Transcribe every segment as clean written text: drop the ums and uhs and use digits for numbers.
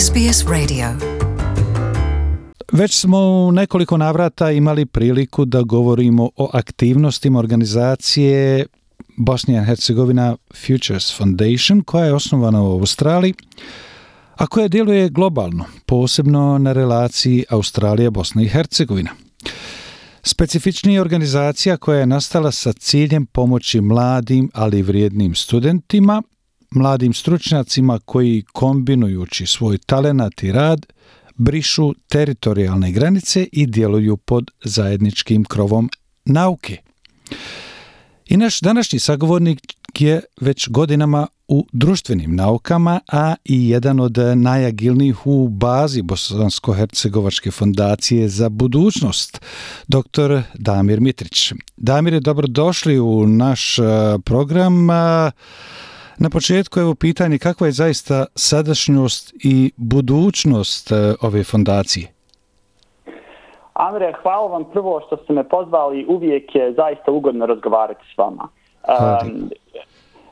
SBS Radio. Već smo u nekoliko navrata imali priliku da govorimo o aktivnostima organizacije Bosnia and Hercegovina Futures Foundation, koja je osnovana u Australiji, a koja djeluje globalno, posebno na relaciji Australija-Bosna i Hercegovina. Specifičnija je organizacija koja je nastala sa ciljem pomoći mladim, ali i vrijednim studentima, mladim stručnjacima koji, kombinujući svoj talenat i rad, brišu teritorijalne granice i djeluju pod zajedničkim krovom nauke. I naš današnji sagovornik je već godinama u društvenim naukama, a i jedan od najagilnijih u bazi Bosansko-hercegovačke fondacije za budućnost, dr. Damir Mitrić. Damir, dobrodošli u naš program. Na početku evo pitanje, kakva je zaista sadašnjost i budućnost ove fondacije? Amre, hvala vam prvo što ste me pozvali, uvijek je zaista ugodno razgovarati s vama.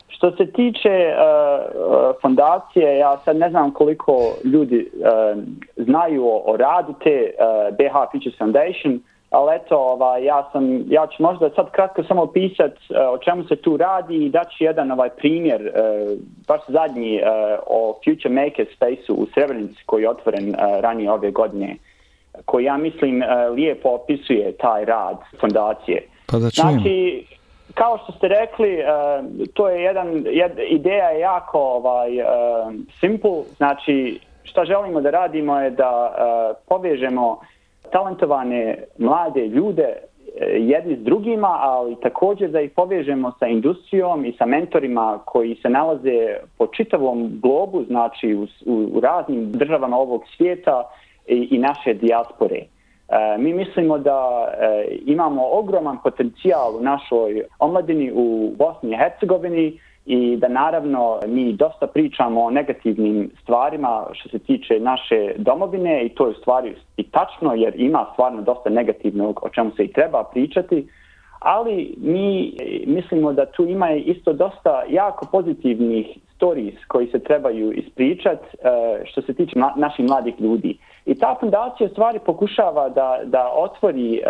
Što se tiče fondacije, ja sad ne znam koliko ljudi znaju o radu te BH Futures Foundation, ali eto, ja ću možda sad kratko samo opisati o čemu se tu radi i daći jedan primjer, baš zadnji o Future Maker Space-u u Srebrenici koji je otvoren ranije ove godine, koji ja mislim lijepo opisuje taj rad fondacije. Pa da čujem. Znači, kao što ste rekli, to je ideja je jako simple. Znači, šta želimo da radimo je da povežemo talentovane mlade ljude jedni s drugima, ali također da ih povežemo sa industrijom i sa mentorima koji se nalaze po čitavom globu, znači u raznim državama ovog svijeta i naše dijaspore. Mi mislimo da imamo ogroman potencijal u našoj omladini u Bosni i Hercegovini i da naravno mi dosta pričamo o negativnim stvarima što se tiče naše domovine i to je u stvari i tačno jer ima stvarno dosta negativnog o čemu se i treba pričati, ali mi mislimo da tu ima isto dosta jako pozitivnih stories koji se trebaju ispričati što se tiče naših mladih ljudi. I ta fundacija u stvari pokušava da otvori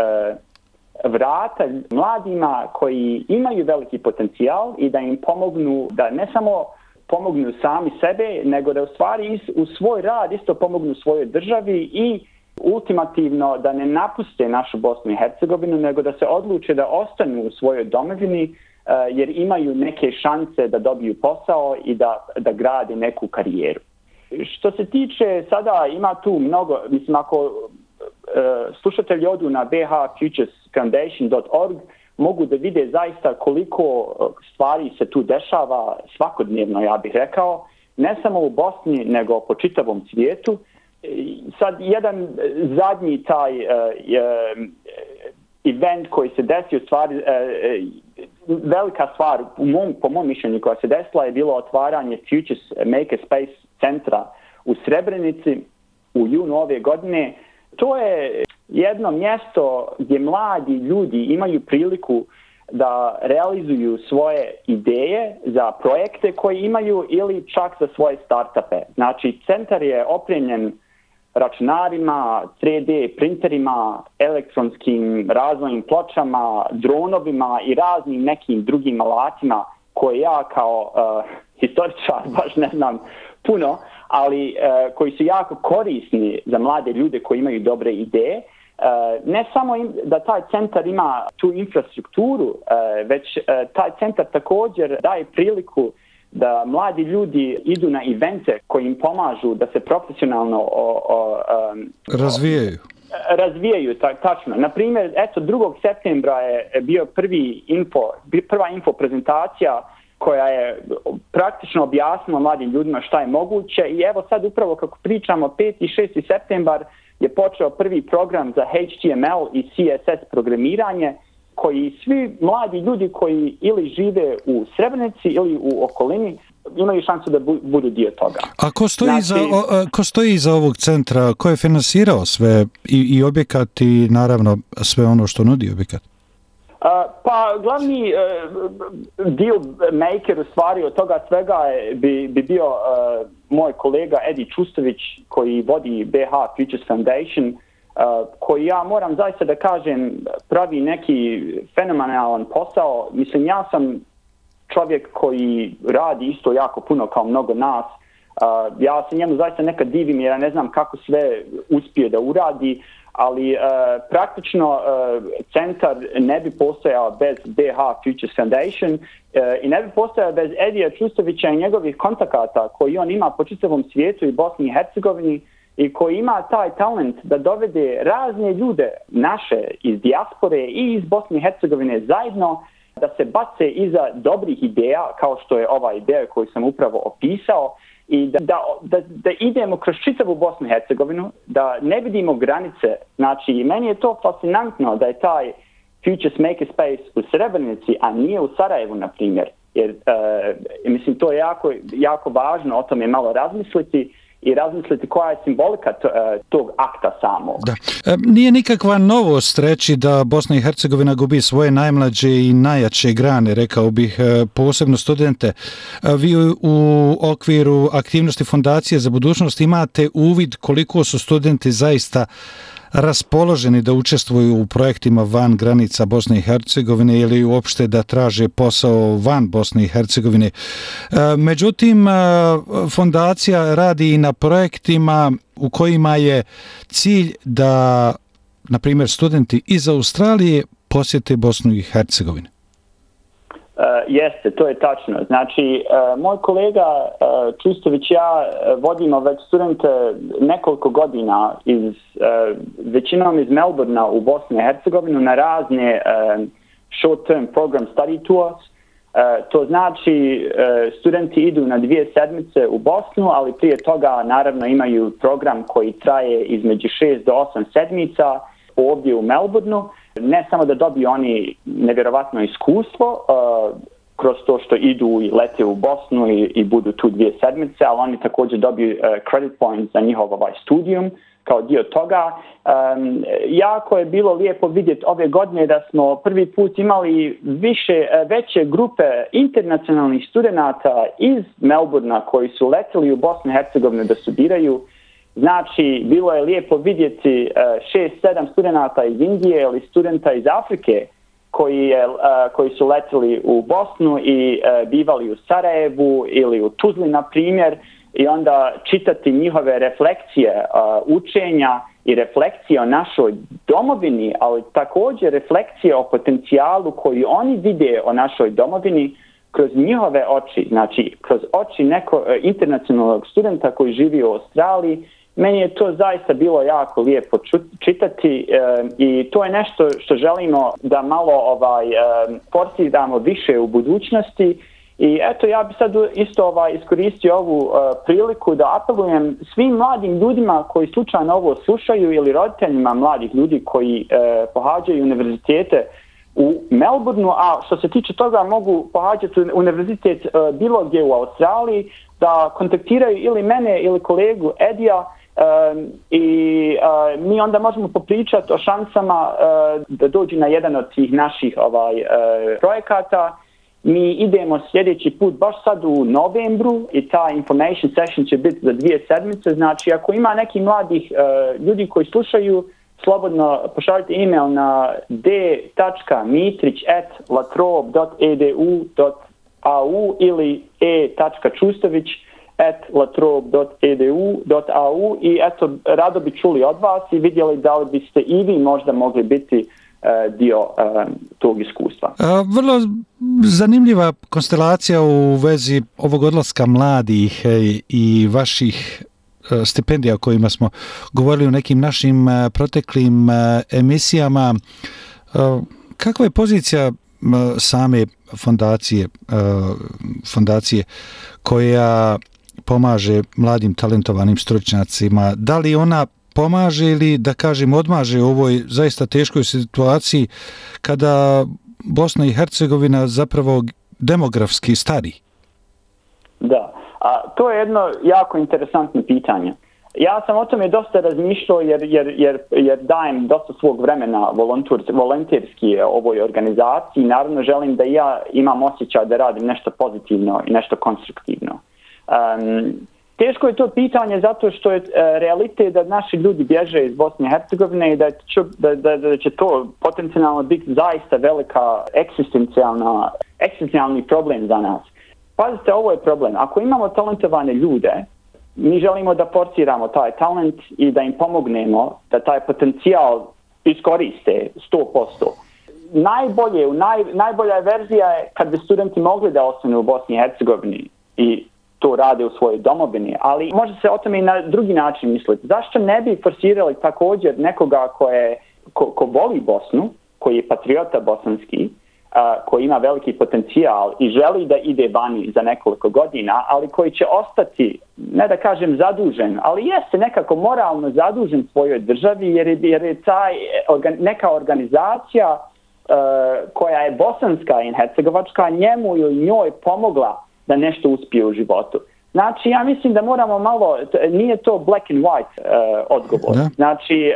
vrata mladima koji imaju veliki potencijal i da im pomognu, da ne samo pomognu sami sebe, nego da u stvari u svoj rad isto pomognu svojoj državi i ultimativno da ne napuste našu Bosnu i Hercegovinu, nego da se odluče da ostanu u svojoj domovini jer imaju neke šanse da dobiju posao i da grade neku karijeru. Što se tiče, sada ima tu mnogo, mislim ako slušatelji odu na bhfuturesfoundation.org mogu da vide zaista koliko stvari se tu dešava svakodnevno, ja bih rekao, ne samo u Bosni, nego po čitavom svijetu. Sad jedan zadnji taj event koji se desio, stvari, velika stvar po mom mišljenju koja se desila je bilo otvaranje Futures Maker Space centra u Srebrenici u junu ove godine. To je jedno mjesto gdje mladi ljudi imaju priliku da realizuju svoje ideje za projekte koje imaju ili čak za svoje startupe. Znači, centar je opremljen računarima, 3D printerima, elektronskim razvojnim pločama, dronovima i raznim nekim drugim alatima koje ja kao historičar baš ne znam puno, ali koji su jako korisni za mlade ljude koji imaju dobre ideje. Ne samo da taj centar ima tu infrastrukturu, već taj centar također daje priliku da mladi ljudi idu na evente koji im pomažu da se profesionalno razvijaju, tačno. Naprimjer, eto 2. septembra je bio prva info prezentacija koja je praktično objasnila mladim ljudima šta je moguće i evo sad upravo kako pričamo 5. i 6. septembar je počeo prvi program za HTML i CSS programiranje koji svi mladi ljudi koji ili žive u Srebrenici ili u okolini imaju šansu da budu dio toga. A ko stoji iza ovog centra? Ko je finansirao sve i objekat i naravno sve ono što nudi objekat? Pa glavni deal maker u stvari od toga svega bi bio moj kolega Edi Čustović koji vodi BH Futures Foundation, koji ja moram zaista da kažem pravi neki fenomenalan posao. Mislim, ja sam čovjek koji radi isto jako puno kao mnogo nas. Ja se njemu zaista nekad divim jer ja ne znam kako sve uspije da uradi, ali praktično centar ne bi postojao bez BH Futures Foundation i ne bi postojao bez Edija Čustovića i njegovih kontakata koji on ima po čitavom svijetu i Bosni i Hercegovini i koji ima taj talent da dovede razne ljude naše iz dijaspore i iz Bosne i Hercegovine zajedno da se bace iza dobrih ideja kao što je ova ideja koju sam upravo opisao i da idemo kroz čitavu Bosnu i Hercegovinu, da ne vidimo granice. Znači, meni je to fascinantno da je taj Futures Makerspace u Srebrenici, a nije u Sarajevu, na primjer. Jer, mislim, to je jako važno o tome malo razmisliti i razmisliti koja je simbolika tog akta samog. Da. Nije nikakva novost reći da Bosna i Hercegovina gubi svoje najmlađe i najjače grane, rekao bih, posebno studente. Vi u okviru aktivnosti Fondacije za budućnost imate uvid koliko su studenti zaista raspoloženi da učestvuju u projektima van granica Bosne i Hercegovine ili uopšte da traže posao van Bosne i Hercegovine. Međutim, fondacija radi i na projektima u kojima je cilj da, na primjer, studenti iz Australije posjete Bosnu i Hercegovinu. Jeste, to je tačno. Znači, moj kolega Čustović i ja vodimo već studente nekoliko godina većinom iz Melbournea u Bosnu i Hercegovinu na razne short-term program study tours. To znači studenti idu na 2 sedmice u Bosnu, ali prije toga naravno imaju program koji traje između 6 do 8 sedmica ovdje u Melbourneu. Ne samo da dobiju oni nevjerovatno iskustvo kroz to što idu i lete u Bosnu i budu tu 2 sedmice, ali oni također dobiju credit points za njihov studijum kao dio toga. Jako je bilo lijepo vidjeti ove godine da smo prvi put imali veće grupe internacionalnih studenata iz Melbournea koji su leteli u Bosnu i Hercegovinu da studiraju. Znači, bilo je lijepo vidjeti 6-7 studenata iz Indije ili studenta iz Afrike koji su leteli u Bosnu i bivali u Sarajevu ili u Tuzli, na primjer, i onda čitati njihove refleksije učenja i refleksije o našoj domovini, ali također refleksije o potencijalu koji oni vide o našoj domovini kroz njihove oči, znači kroz oči internacionalnog studenta koji živi u Australiji. Meni je to zaista bilo jako lijepo čitati i to je nešto što želimo da malo forsiramo više u budućnosti. I eto, ja bi sad isto iskoristio ovu priliku da apelujem svim mladim ljudima koji slučajno ovo slušaju ili roditeljima mladih ljudi koji pohađaju univerzitete u Melbourneu, a što se tiče toga mogu pohađati univerzitet bilo gdje u Australiji, da kontaktiraju ili mene ili kolegu Edija i mi onda možemo popričati o šansama da dođu na jedan od tih naših projekata. Mi idemo sljedeći put baš sad u novembru i ta information session će biti za 2 sedmice. Znači, ako ima nekih mladih ljudi koji slušaju, slobodno pošaljite email na d.mitrić@latrobe.edu.au ili e.čustović@latrobe.edu.au i eto, rado bi čuli od vas i vidjeli da li biste i vi možda mogli biti dio tog iskustva. Vrlo zanimljiva konstelacija u vezi ovog odlaska mladih i vaših stipendija o kojima smo govorili u nekim našim proteklim emisijama. Kakva je pozicija same fondacije koja pomaže mladim talentovanim stručnjacima? Da li ona pomaže ili, da kažem, odmaže u ovoj zaista teškoj situaciji kada Bosna i Hercegovina zapravo demografski stari? Da, a to je jedno jako interesantno pitanje. Ja sam o tome dosta razmišljao jer dajem dosta svog vremena volonterski ovoj organizaciji. Naravno želim da ja imam osjećaj da radim nešto pozitivno i nešto konstruktivno. Teško je to pitanje zato što je realitet da naši ljudi bježe iz Bosne i Hercegovine i da će to potencijalno biti zaista velika egzistencijalni problem za nas. Pazite, ovo je problem. Ako imamo talentovane ljude, mi želimo da forsiramo taj talent i da im pomognemo da taj potencijal iskoriste 100%. Najbolja verzija je kad bi studenti mogli da ostanu u Bosni i Hercegovini i to rade u svojoj domovini, ali može se o tome i na drugi način misliti. Zašto ne bi forsirali također nekoga ko voli Bosnu, koji je patriota bosanski, koji ima veliki potencijal i želi da ide vani za nekoliko godina, ali koji će ostati, ne da kažem zadužen, ali jeste nekako moralno zadužen svojoj državi jer je neka organizacija koja je bosanska i hercegovačka njemu ili njoj pomogla da nešto uspije u životu. Znači, ja mislim da moramo malo, nije to black and white odgovor. Znači,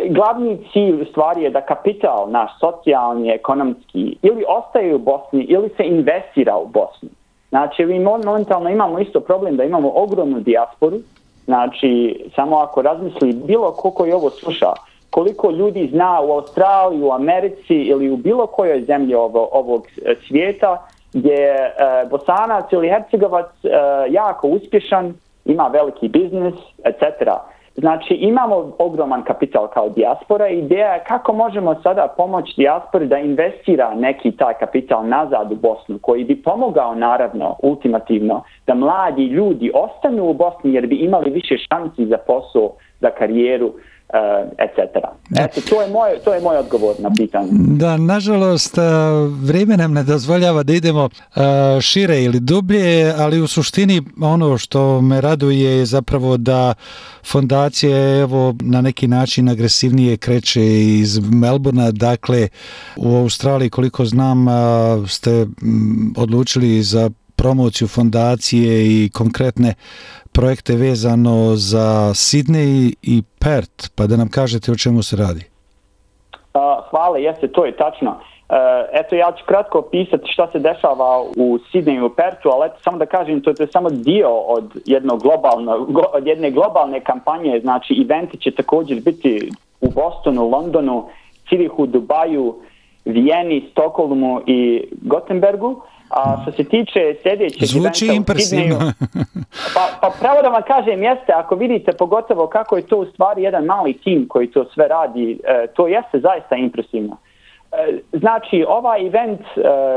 glavni cilj u stvari je da kapital naš socijalni, ekonomski ili ostaje u Bosni ili se investira u Bosnu. Znači, mi momentalno imamo isto problem da imamo ogromnu dijasporu. Znači, samo ako razmisli bilo ko koji ovo sluša, koliko ljudi zna u Australiji, u Americi ili u bilo kojoj zemlji ovog svijeta gdje je Bosanac ili Hercegovac jako uspješan, ima veliki biznis, etc. Znači imamo ogroman kapital kao dijaspora i ideja je kako možemo sada pomoći dijaspori da investira neki taj kapital nazad u Bosnu koji bi pomogao naravno ultimativno da mladi ljudi ostanu u Bosni jer bi imali više šansi za posao, za karijeru, etc. Eto, to je moj odgovor na pitanje. Da, nažalost, vrijeme nam ne dozvoljava da idemo šire ili dublje, ali u suštini ono što me raduje je zapravo da fondacija evo na neki način agresivnije kreće iz Melbourna, dakle u Australiji koliko znam ste odlučili za promociju fondacije i konkretne projekte vezano za Sidney i Perth, pa da nam kažete o čemu se radi. Hvala, jeste, to je tačno. Eto, ja ću kratko opisati šta se dešava u Sidneju i u Perthu, ali eto, samo da kažem, to je samo dio od jedne globalne kampanje, znači eventi će također biti u Bostonu, Londonu, Cirihu, Dubaju, Vijeni, Stokholmu i Gothenburgu. A što se tiče sljedećeg eventa u Sidneju, pa pravo da vam kažem jeste, ako vidite pogotovo kako je to u stvari jedan mali tim koji to sve radi, to jeste zaista impresivno. Znači, ovaj event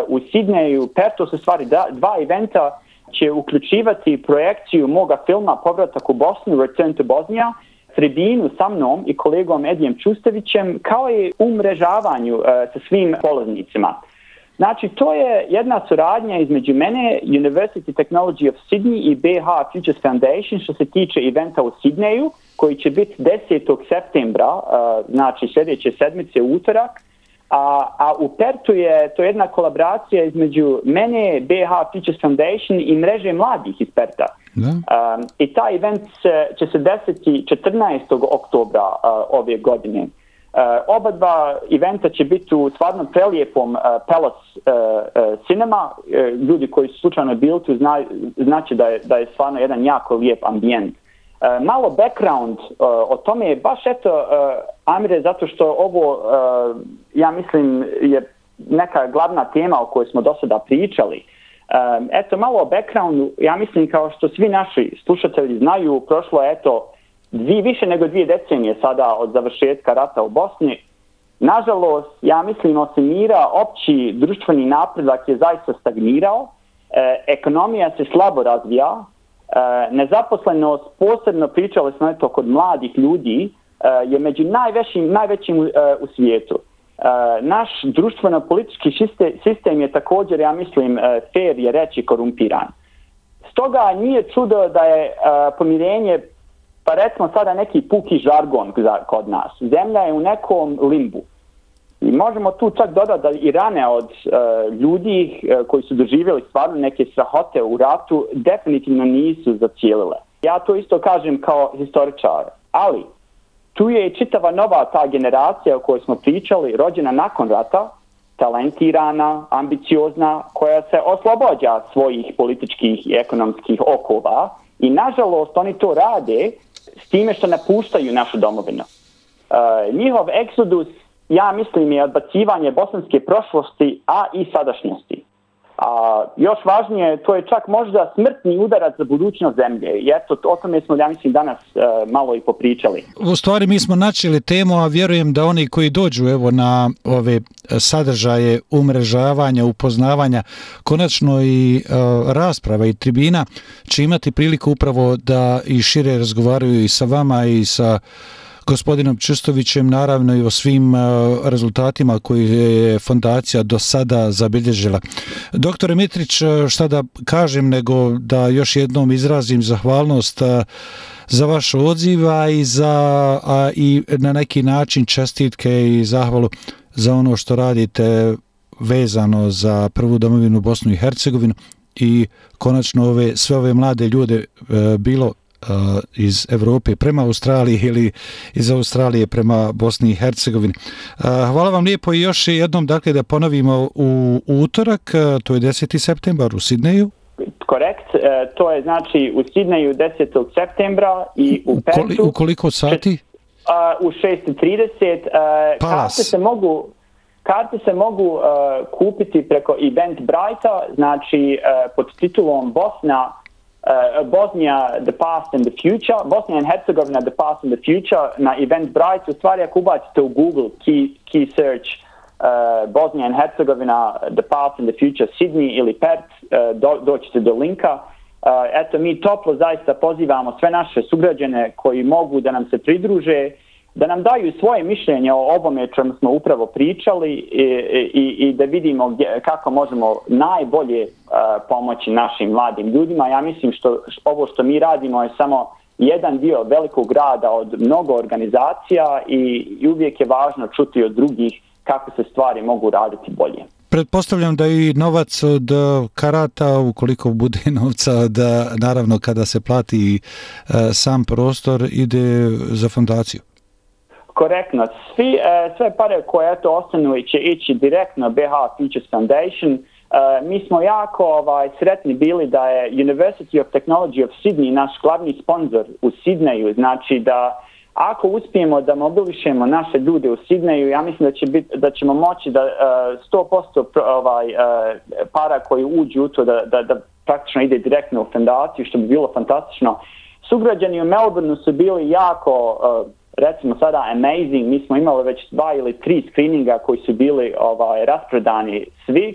u Sidneju, Perthu su stvari dva eventa će uključivati projekciju moga filma Povratak u Bosnu, Return to Bosnia, tribinu sa mnom i kolegom Edijem Čustevićem, kao i umrežavanju sa svim polaznicima. Znači, to je jedna suradnja između mene, University Technology of Sydney i BH Futures Foundation što se tiče eventa u Sidneju, koji će biti 10. septembra, znači sljedeće sedmice u utorak, a u Perthu je to jedna kolaboracija između mene, BH Futures Foundation i mreže mladih iz Pertha. I taj event će se desiti 14. oktobra ove godine. Oba dva eventa će biti u stvarno prelijepom Palace Cinema. Ljudi koji su slučajno bili tu znači da je stvarno jedan jako lijep ambijent. Malo background o tome je baš eto, Amire, zato što ovo, ja mislim, je neka glavna tema o kojoj smo do sada pričali. Eto, malo o backgroundu, ja mislim kao što svi naši slušatelji znaju, prošlo je eto više nego 2 decenije sada od završetka rata u Bosni. Nažalost, ja mislim, osim mira, opći društveni napredak je zaista stagnirao, ekonomija se slabo razvija, nezaposlenost, posebno pričali smo eto kod mladih ljudi, je među najvećim u svijetu. Naš društveno-politički sistem je također, ja mislim, fair je reći korumpiran. Stoga nije čudo da je pomirenje, pa recimo sada neki puki žargon kod nas. Zemlja je u nekom limbu. I možemo tu čak dodati da i rane od ljudi koji su doživjeli stvarno neke strahote u ratu definitivno nisu zacijelile. Ja to isto kažem kao historičar, ali tu je i čitava nova ta generacija o kojoj smo pričali, rođena nakon rata, talentirana, ambiciozna, koja se oslobađa svojih političkih i ekonomskih okova i nažalost oni to rade s time što napuštaju našu domovinu. Njihov egzodus, ja mislim, je odbacivanje bosanske prošlosti, a i sadašnjosti. A još važnije, to je čak možda smrtni udarac za budućnost zemlje. I eto, o tome smo, ja mislim, danas malo i popričali. U stvari mi smo načeli temu, a vjerujem da oni koji dođu evo na ove sadržaje umrežavanja, upoznavanja, konačno i rasprava i tribina će imati priliku upravo da i šire razgovaraju i sa vama i sa gospodinom Čustovićem, naravno i o svim rezultatima koje je fondacija do sada zabilježila. Doktore Mitrić, šta da kažem nego da još jednom izrazim zahvalnost za vaš odziv i na neki način čestitke i zahvalu za ono što radite vezano za prvu domovinu Bosnu i Hercegovinu i konačno sve ove mlade ljude bilo iz Evrope prema Australiji ili iz Australije prema Bosni i Hercegovini. Hvala vam lijepo i još jednom, dakle, da ponovimo u utorak, to je 10. septembar u Sidneju. Korekt, to je znači u Sidneju 10. septembra i u Pertu. U koliko sati? U 6:30. Karte se mogu kupiti preko Eventbrite-a, znači pod titulom Bosnia, the past and the future, Bosnia and Herzegovina, the past and the future na Eventbrite. U stvari ako ubacite u Google key search Bosnia and Herzegovina, the past and the future, Sydney ili Perth, doćete do linka. Eto, mi toplo zaista pozivamo sve naše sugrađane koji mogu da nam se pridruže, da nam daju svoje mišljenje o ovome čemu smo upravo pričali i da vidimo kako možemo najbolje pomoći našim mladim ljudima. Ja mislim ovo što mi radimo je samo jedan dio velikog rada od mnogo organizacija i uvijek je važno čuti od drugih kako se stvari mogu raditi bolje. Pretpostavljam da i novac od karata, ukoliko bude novca, da naravno kada se plati sam prostor, ide za fondaciju. Korektno. Sve pare koje ostanu će ići direktno BH Futures Foundation. Mi smo jako sretni bili da je University of Technology of Sydney naš glavni sponsor u Sidneju. Znači da ako uspijemo da mobilišemo naše ljude u Sidneju, ja mislim da ćemo moći da 100% para koji uđu u to da praktično ide direktno u fondaciju, što bi bilo fantastično. Sugrađani u Melbourneu su bili jako recimo sada amazing. Mi smo imali već 2 ili 3 screeninga koji su bili rasprodani svi.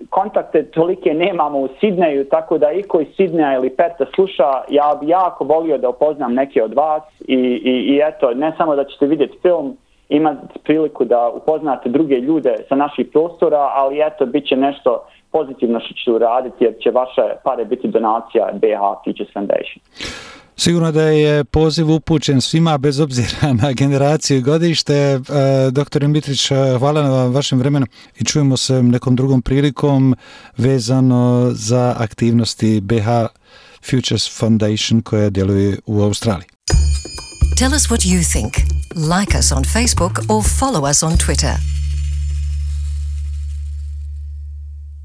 Kontakte tolike nemamo u Sidneju, tako da i koji Sidneja ili Perta sluša, ja bi jako volio da upoznam neke od vas i eto, ne samo da ćete vidjeti film, imati priliku da upoznate druge ljude sa naših prostora, ali eto, bit će nešto pozitivno što ću raditi jer će vaše pare biti donacija BH Futures Foundation. Sigurno da je poziv upućen svima bez obzira na generaciju i godište. Dr. Mitrić, hvala na vašem vremenu i čujemo se nekom drugom prilikom vezano za aktivnosti BH Futures Foundation koja djeluje u Australiji. Tell us what you think. Like us on Facebook or follow us on Twitter.